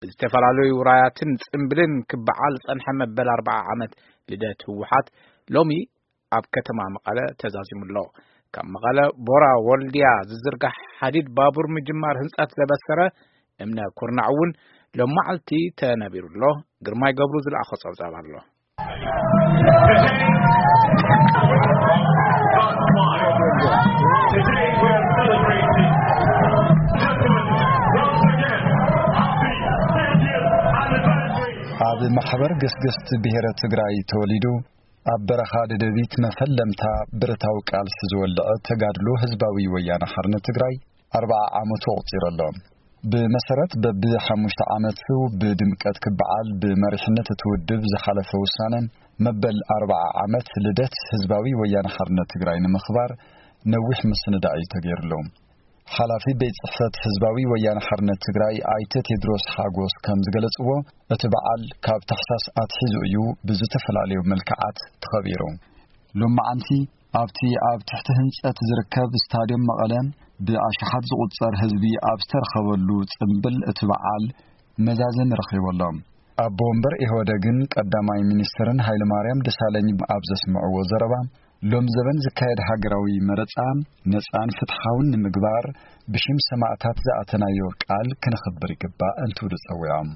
ብዝተፈላለዩ ውራያትን ጽምብልን ክበዓል ዝጸንሐ መበል ኣርብዓ ዓመት ልደት ህወሓት ሎሚ ኣብ ከተማ መቐለ ተዛዚሙ ኣሎ። ካብ መቐለ ቦራ ወልድያ ዝዝርጋሕ ሓዲድ ባቡር ምጅማር ህንጸት ዘበሰረ እምነ ኩርናዕ እውን ሎም መዓልቲ ተነቢሩ ኣሎ። ግርማይ ገብሩ ዝለኣኾ ጸብጻብ ኣሎ። ኣብ ማሕበር ገስገስቲ ብሄረ ትግራይ ተወሊዱ፣ ኣብ በረኻ ደደቢት መፈለምታ ብረታዊ ቃልሲ ዝወልዐ ተጋድሎ ህዝባዊ ወያነ ሓርነት ትግራይ ኣርብዓ ዓመቱ ኣቑጺሩ ኣሎ። ብመሰረት በብሓሙሽተ ዓመቱ ብድምቀት ክበዓል ብመሪሕነት እቲ ውድብ ዝሓለፈ ውሳነ፣ መበል ኣርብዓ ዓመት ልደት ህዝባዊ ወያነ ሓርነት ትግራይ ንምኽባር ነዊሕ ምስንዳእ እዩ ተገይሩሉ። ሓላፊ ቤት ጽሕፈት ህዝባዊ ወያነ ሓርነት ትግራይ ኣይተ ቴድሮስ ሓጎስ ከም ዝገለጽዎ፣ እቲ በዓል ካብ ታሕሳስ ኣትሒዙ እዩ ብዝተፈላለዩ መልክዓት ተኸቢሩ። ሎማዓንቲ ኣብቲ ኣብ ትሕቲ ህንጸት ዝርከብ ስታድዮም መቐለ ብኣሽሓት ዝቑጸር ህዝቢ ኣብ ዝተረኸበሉ ጽምብል እቲ በዓል መዛዘሚ ረኺቡ ኣሎ። ኣቦ ወንበር ኢህወደግን ቀዳማይ ሚኒስትርን ሃይለማርያም ደሳለኝ ኣብ ዘስምዕዎ ዘረባ፣ ሎም ዘበን ዝካየድ ሃገራዊ መረጻ ነጻን ፍትሓውን ንምግባር ብሽም ሰማእታት ዝኣተናዮ ቃል ክነኽብር ይግባእ እንትብሉ ጸዊዖም።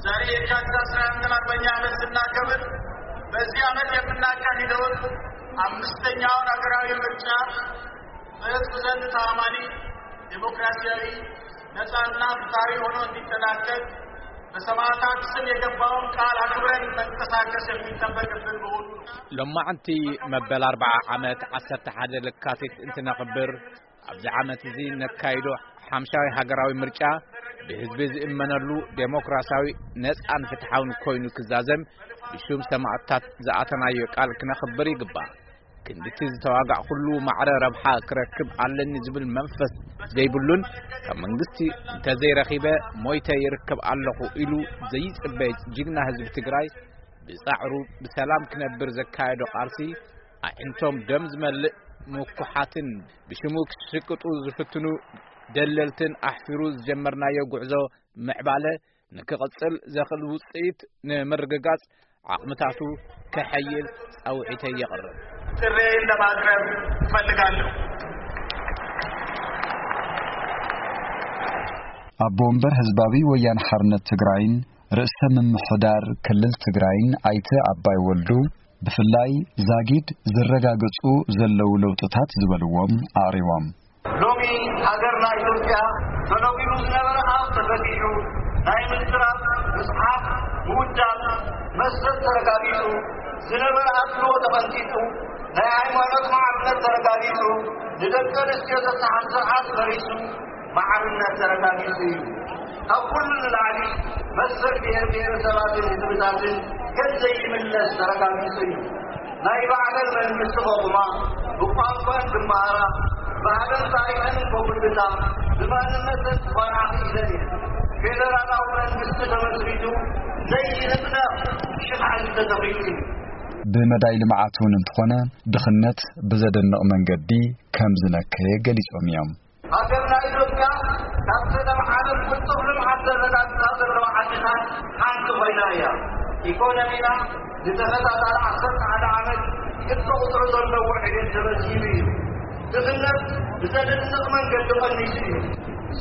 ዛሬ የካቲት አስራ አንድ አርበኛ ዓመት ስናከብር በዚህ ዓመት የምናካሂደውን አምስተኛውን ሀገራዊ ምርጫ በህዝብ ዘንድ ተአማኒ፣ ዴሞክራሲያዊ፣ ነጻና ፍትሐዊ ሆኖ እንዲጠናቀቅ በሰማዕታት ስም የገባውን ቃል አክብረን መንቀሳቀስ የሚጠበቅብን መሆኑ ነው። ሎማዕንቲ መበል ኣርብዓ ዓመት ዓሰርተ ሓደ ለካቲት እንትነኽብር፣ ኣብዚ ዓመት እዚ ነካይዶ ሓምሻዊ ሃገራዊ ምርጫ ብህዝቢ ዝእመነሉ ዴሞክራሲያዊ፣ ነጻን ፍትሓውን ኮይኑ ክዛዘም ብሹም ሰማዕታት ዝኣተናዮ ቃል ክነኽብር ይግባእ። ክንድቲ ዝተዋጋዕ ኩሉ ማዕረ ረብሓ ክረክብ ኣለኒ ዝብል መንፈስ ዘይብሉን ካብ መንግስቲ እንተዘይረኺበ ሞይተ ይርከብ ኣለኹ ኢሉ ዘይጽበ ጅግና ህዝቢ ትግራይ ብጻዕሩ ብሰላም ክነብር ዘካየዶ ቃልሲ ኣዒንቶም ደም ዝመልእ ምኩሓትን ብሽሙ ክሽቅጡ ዝፍትኑ ደለልትን ኣሕፊሩ ዝጀመርናዮ ጉዕዞ ምዕባለ ንክቕጽል ዘኽእል ውጽኢት ንምርግጋጽ ዓቕምታቱ ከሐይል ጻውዒተይ የቕርብ። ጥሬን ለማቅረብ እፈልጋለሁ። ኣቦ ወንበር ህዝባዊ ወያነ ሓርነት ትግራይን ርእሰ ምምሕዳር ክልል ትግራይን ኣይተ ኣባይ ወልዱ ብፍላይ ዛጊድ ዝረጋገጹ ዘለዉ ለውጥታት ዝበልዎም ኣቕሪቦም። ሎሚ ሃገርና ኢትዮጵያ ተነጒዱ ዝነበረ ኣብ ተፈቲሑ፣ ናይ ምዝራብ፣ ምጽሓፍ፣ ምውዳብ፣ መስጠት ተረጋጊጹ፣ ዝነበረ ኣድልዎ ተቐንጢጡ፣ ናይ ሃይማኖት ማዕርነት ተረጋጊጹ፣ ንደቂ ኣንስትዮ ዘተሓት ስርዓት ፈሪሱ፣ ማዕርነት ተረጋጊጹ እዩ። ካብ ኩሉ ንላዕሊ መሰል ብሔር ብሔረሰባትን ህዝብታትን ከም ዘይምለስ ተረጋጊጹ እዩ። ናይ ባዕለን መንግስቲ ከቑማ፣ ብቋንቋን ክመሃራ፣ ባህለን ታሪኸን ከጉልብታ፣ ብማንነተን ክኾርዓ ክኢለን እየን። ፌደራላዊ መንግስቲ ተመስሪቱ ዘይንቕነቕ ሽሕ ዓዲ ተተኺሉ እዩ። ብመዳይ ልምዓት እውን እንተኾነ ድኽነት ብዘደንቕ መንገዲ ከም ዝነከየ ገሊጾም እዮም። ሃገርና ኢትዮጵያ ካብተን ኣብ ዓለም ቅልጡፍ ልምዓት ዘረጋግጻ ዘለዋ ዓድታት ሓንቲ ኮይና እያ። ኢኮኖሚና ንተኸታታሊ ዓሰርተ ሓደ ዓመት ቅድሚ ቁጽሪ ዘለዎ ዕቤት ተመዝጊቡ እዩ። ድኽነት ብዘደንቕ መንገዲ ቀኒሱ እዩ።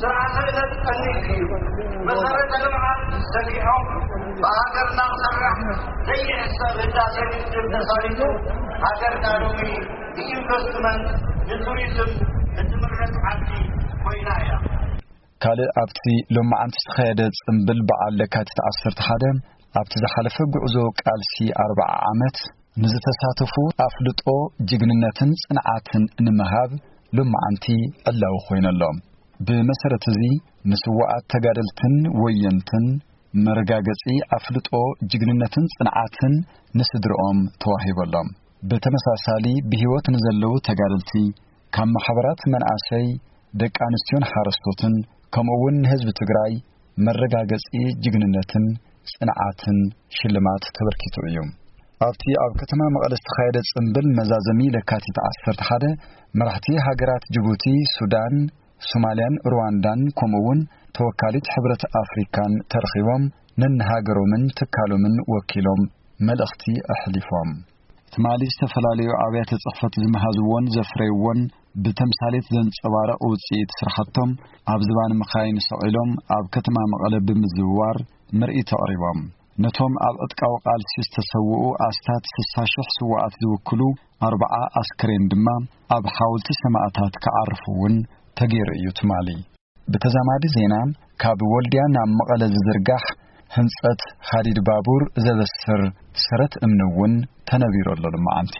ስርዓተ ዕለት ቀኒሱ እዩ። መሰረተ ልምዓት ሰፊሖም ብሃገርና ክሰርሕ ዘይሕሰብ ህዳሴ ግድብ ተሳሊጡ ሃገርና ሎሚ ንኢንቨስትመንት፣ ንቱሪዝም እትምረጽ ዓዲ ኮይና እያ። ካልእ ኣብቲ ሎማዓንቲ ዝተኻየደ ጽምብል በዓል ለካቲት ዓሰርተ ሓደ ኣብቲ ዝሓለፈ ጉዕዞ ቃልሲ ኣርብዓ ዓመት ንዝተሳተፉ ኣፍልጦ ጅግንነትን ጽንዓትን ንምሃብ ሎማዓንቲ ዕላዊ ኮይነሎም። ብመሰረት እዚ ንስዋኣት ተጋደልትን ወየንትን መረጋገጺ ኣፍልጦ ጅግንነትን ጽንዓትን ንስድርኦም ተዋሂበሎም። ብተመሳሳሊ ብህይወት ንዘለዉ ተጋደልቲ ካብ ማሕበራት መናእሰይ፣ ደቂ ኣንስትዮን ሓረስቶትን ከምኡ እውን ንህዝቢ ትግራይ መረጋገጺ ጅግንነትን ጽንዓትን ሽልማት ተበርኪቱ እዩ። ኣብቲ ኣብ ከተማ መቐለ ዝተኻየደ ጽምብል መዛዘሚ ለካቲት ዓሰርተ ሓደ መራሕቲ ሃገራት ጅቡቲ፣ ሱዳን፣ ሶማልያን ሩዋንዳን ከምኡ እውን ተወካሊት ሕብረት ኣፍሪካን ተረኺቦም ነንሃገሮምን ትካሎምን ወኪሎም መልእኽቲ ኣሕሊፎም። ትማሊ ዝተፈላለዩ ኣብያተ ጽሕፈት ዝመሃዝዎን ዘፍረይዎን ብተምሳሌት ዘንጸባረቕ ውጽኢት ስራሕቶም ኣብ ዝባን መኻይን ሰቒሎም ኣብ ከተማ መቐለ ብምዝውዋር ምርኢት ኣቕሪቦም። ነቶም ኣብ ዕጥቃዊ ቃልሲ ዝተሰውኡ ኣስታት ስሳ ሽሕ ስውኣት ዝውክሉ ኣርብዓ ኣስክሬን ድማ ኣብ ሓውልቲ ሰማእታት ክዓርፉ እውን ተገይሩ እዩ ትማሊ። ብተዛማዲ ዜና፣ ካብ ወልድያ ናብ መቐለ ዝዝርጋሕ ህንጸት ሃዲድ ባቡር ዘበስር ሰረት እምኒ እውን ተነቢሩ ኣሎ ሎማዓንቲ።